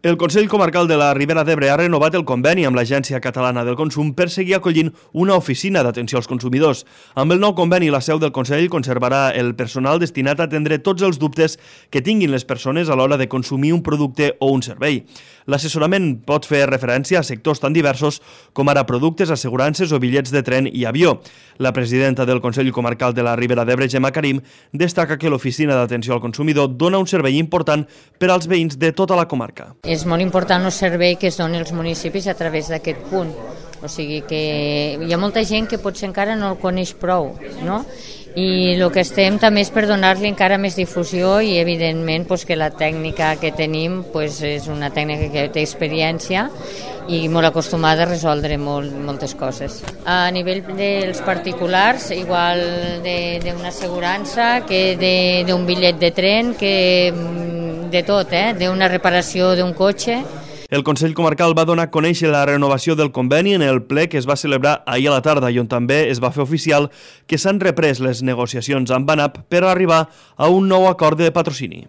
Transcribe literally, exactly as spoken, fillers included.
El Consell Comarcal de la Ribera d'Ebre ha renovat el conveni amb l'Agència Catalana del Consum per seguir acollint una oficina d'atenció als consumidors. Amb el nou conveni, la seu del Consell conservarà el personal destinat a atendre tots els dubtes que tinguin les persones a l'hora de consumir un producte o un servei. L'assessorament pot fer referència a sectors tan diversos com ara productes, assegurances o bitllets de tren i avió. La presidenta del Consell Comarcal de la Ribera d'Ebre, Gemma Karim, destaca que l'oficina d'atenció al consumidor dona un servei important per als veïns de tota la comarca. És molt important el servei que es doni als municipis a través d'aquest punt. O sigui que hi ha molta gent que potser encara no el coneix prou, no? I el que estem també és per donar-li encara més difusió i evidentment pues, que la tècnica que tenim pues, és una tècnica que té experiència i molt acostumada a resoldre molt, moltes coses. A nivell dels particulars, igual d'una assegurança, que d'un bitllet de tren, que de tot, eh? D'una reparació d'un cotxe. El Consell Comarcal va donar a conèixer la renovació del conveni en el ple que es va celebrar ahir a la tarda i on també es va fer oficial que s'han reprès les negociacions amb ANAP per arribar a un nou acord de patrocini.